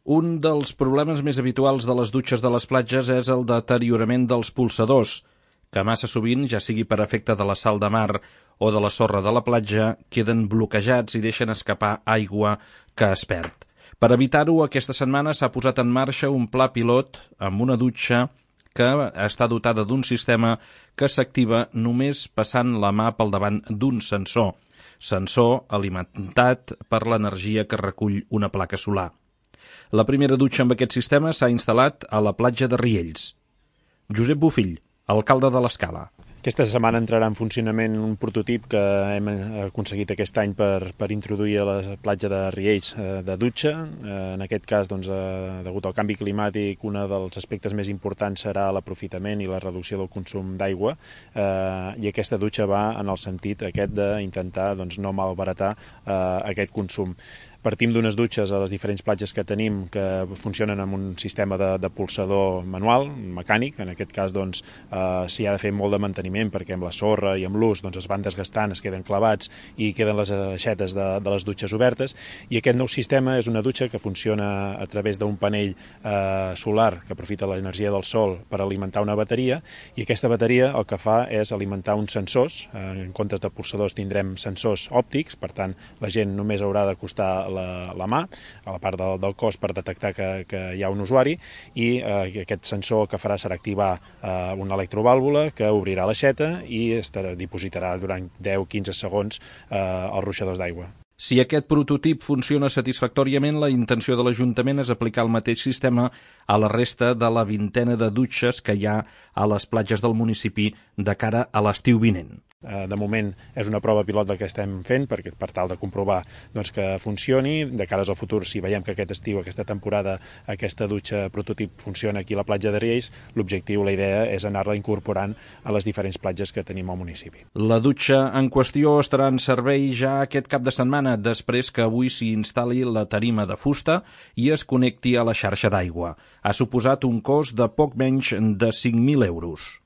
Un dels problemes més habituals de les dutxes de les platges és el deteriorament dels polsadors, que massa sovint, ja sigui per efecte de la sal de mar o de la sorra de la platja, queden bloquejats i deixen escapar aigua que es perd. Per evitar-ho, aquesta setmana s'ha posat en marxa un pla pilot amb una dutxa que està dotada d'un sistema que s'activa només passant la mà pel davant d'un sensor alimentat per l'energia que recull una placa solar. La primera dutxa amb aquest sistema s'ha instal·lat a la platja de Riells. Josep Bofill, alcalde de l'Escala. Aquesta setmana entrarà en funcionament un prototip que hem aconseguit aquest any per introduir a la platja de Riells de dutxa. En aquest cas, degut al canvi climàtic, un dels aspectes més importants serà l'aprofitament i la reducció del consum d'aigua, i aquesta dutxa va en el sentit aquest d'intentar no malbaratar aquest consum. Partim d'unes dutxes a les diferents platges que tenim que funcionen amb un sistema de polsador manual, mecànic. En aquest cas s'hi ha de fer molt de manteniment perquè amb la sorra i amb l'ús es van desgastant, es queden clavats i queden les aixetes de les dutxes obertes. I aquest nou sistema és una dutxa que funciona a través d'un panell solar que aprofita l'energia del sol per alimentar una bateria, i aquesta bateria el que fa és alimentar uns sensors. En comptes de polsadors tindrem sensors òptics, per tant la gent només haurà d'acostar la mà a la part del cos per detectar que hi ha un usuari, i aquest sensor el que farà serà activar una electrovàlvula que obrirà l'aixeta i dipositarà durant 10-15 segons els ruixadors d'aigua. Si aquest prototip funciona satisfactòriament, la intenció de l'Ajuntament és aplicar el mateix sistema a la resta de la vintena de dutxes que hi ha a les platges del municipi de cara a l'estiu vinent. De moment és una prova pilot del que estem fent per tal de comprovar que funcioni. De cara al futur, si veiem que aquest estiu, aquesta temporada, aquesta dutxa prototip funciona aquí a la platja de Riells, l'objectiu, la idea, és anar-la incorporant a les diferents platges que tenim al municipi. La dutxa en qüestió estarà en servei ja aquest cap de setmana, després que avui s'hi instal·li la tarima de fusta i es connecti a la xarxa d'aigua. Ha suposat un cost de poc menys de 5.000 euros.